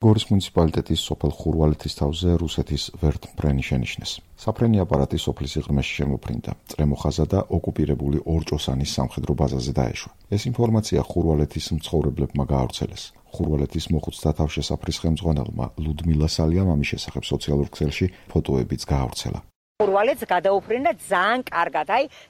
გორის მუნიციპალიტეტის სოფელ ხურვალეთის თავზე რუსეთის ვერტმფრენი შენიშნეს. საფრენი აპარატი სოფლის სიღრმეში შემოფრინდა, წრემოხაზა და ოკუპირებული ორჭოსანის სამხედრო ბაზაზე დაეშვა. ეს ინფორმაცია ხურვალეთის მცხოვრებლებმა გაავრცელეს. ხურვალეთის მოხუცთა თავშესაფრის ხელმძღვანელმა ლუდმილა სალიამ ამის შესახებ სოციალურ ქსელში ფოტოებიც გაავრცელა. ხურვალეთს გადაუფრინა ძალიან კარგად,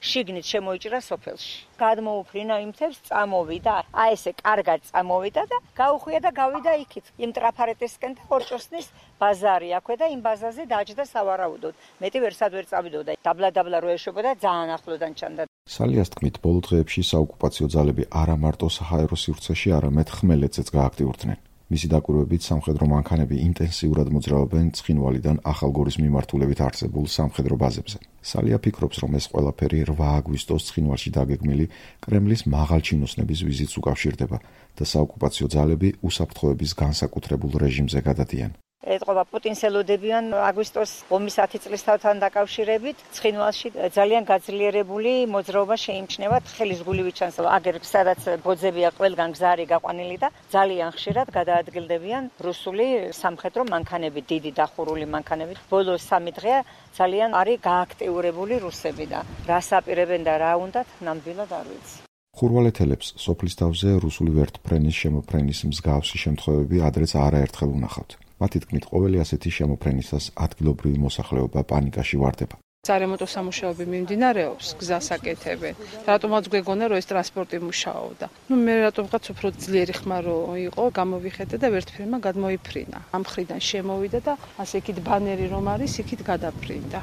შიგნით შემოიჭრა სოფელში. გადმოუფრინა იმ თემს, წამოვიდა, ესე კარგად წამოვიდა და გაუხვია და გავიდა იქით. იმ ტრაფარეტისკენ და ორჭოსნის ბაზარი აქვე და იმ ბაზაზე დაჯდა სავარაუდოდ. მეტი ვერსად ვერ წავიდოდა. დაბლა რო ეშვებოდა, ძალიან ახლოდან ჩანდა. სალიას თქმით, ბოლო დღეებში საოკუპაციო ძალები არა მარტო საჰაერო სივრცეში, არამედ ხმელეთზეც გააქტიურდნენ. მისი დაკვირვებით სამხედრო მანქანები ინტენსიურად მოძრაობენ ცხინვალიდან ახალგორის მიმართულებით არსებულ სამხედრო ბაზებზე. სალია ფიქრობს, რომ ეს ყველაფერი 8 აგვისტოს ცხინვალში დაგეგმილი კრემლის მაღალჩინოსნების ვიზიტს უკავშირდება და საოკუპაციო ძალები უსაფრთხოების განსაკუთრებულ რეჟიმზე გადადიან. ეთყობა პუტინს ელოდებიან აგვისტოს 50 წლისთავთან დაკავშირებით ცხინვალში ძალიან გაძლიერებული მოძრაობა შეიმჩნევა ხელის გულივით ჩანს აგერ სადაც ბოძებია ყველგან გზარი გაყვანილი და ძალიან ხშირად გადაადგილდებიან რუსული სამხედრო მანქანები, დიდი დახურული მანქანები. ბოლო 3 დღეა ძალიან არის გააქტიურებული რუსები და რას აპირებენ და რა უნდათ ნამდვილად არ ვიცი. ხურვალეთელებს სოფლის თავზე რუსული ვერტმფრენის შემოფრენის მსგავსი შემთხვევები ადრეც არაერთხელ უნახავთ. მათი თქმით, ყოველი ასეთი შემოფრენისას ადგილობრივი მოსახლეობა პანიკაში ვარდება. სარემონტო სამუშაოები მიმდინარეობს, გზას აკეთებენ. რატომაც გვეგონა, რომ ეს ტრანსპორტი მუშაობდა. მე რატომღაც უფრო ძლიერი ხმა რო იყო, გამოვიხედე და ვერტმფრენმა გადმოიფრინა. ამ მხრიდან შემოვიდა და ასე იქით ბანერი რომ არის, იქით გადაფრინდა.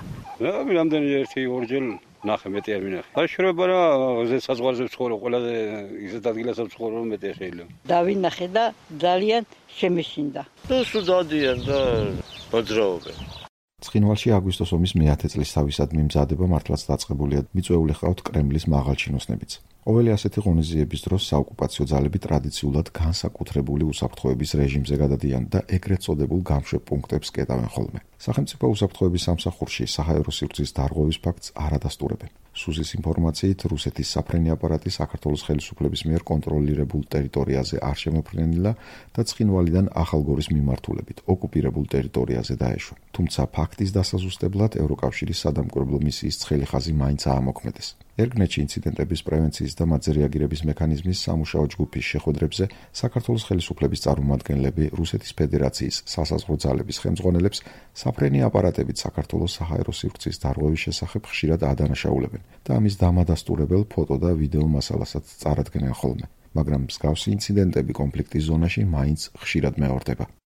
რამდენი ერთი ორჯერ ნახე მეტი არ მინახე. შრება რა საზღვარზე ვცხოვრო, ყველაზე ისეთ ადგილასაც ვცხოვრო, რომ მეტი შეიძლება. დავინახე და ძალიან შემეშინდა. სულ დადიან და მოძრაობენ. ცხინვალში აგვისტოს ომის მე-10 წლისთავისადმი მზადება მართლაც დაწყებულია. მიწვეული ჰყავთ კრემლის მაღალჩინოსნებიც. ყოველი ასეთი ღონისძიების დროს საოკუპაციო ძალები ტრადიციულად განსაკუთრებული უსაფრთხოების რეჟიმზე გადადიან და ეგრეთ წოდებულ გამშვებ პუნქტებს კეტავენ ხოლმე. სახელმწიფო უსაფრთხოების სამსახურში საჰაერო სივრცის დარღვევის ფაქტს არ ადასტურებენ. სუზის ინფორმაციით, რუსეთის საფრენი აპარატი საქართველოს ხელისუფლების მიერ კონტროლირებულ ტერიტორიაზე არ შემოფრენილა და ცხინვალიდან ახალგორის მიმართულებით ოკუპირებულ ტერიტორიაზე დაეშვა. თუმცა ფაქტის დასაზუსტებლად ევროკავშირის სადამკვირვებლო მისიის ცხელი ხაზი მაინც აამოქმედეს. ერგნეთში ინციდენტების პრევენციის და მათზე რეაგირების მექანიზმის სამუშაო ჯგუფის შეხვედრებზე საქართველოს ხელისუფლების წარმომადგენლები რუსეთის ფედერაციის სასაზღვრო ძალების ხელმძღვანელებს საფრენი აპარატებით საქართველოს საჰაერო სივრცის დარღვევის შესახებ ხშირად ადანაშაულებენ და ამის დამადასტურებელ ფოტო და ვიდეო მასალასაც წარადგენენ ხოლმე, მაგრამ მსგავსი ინციდენტები კონფლიქტის ზონაში მაინც ხშირად მეორდება.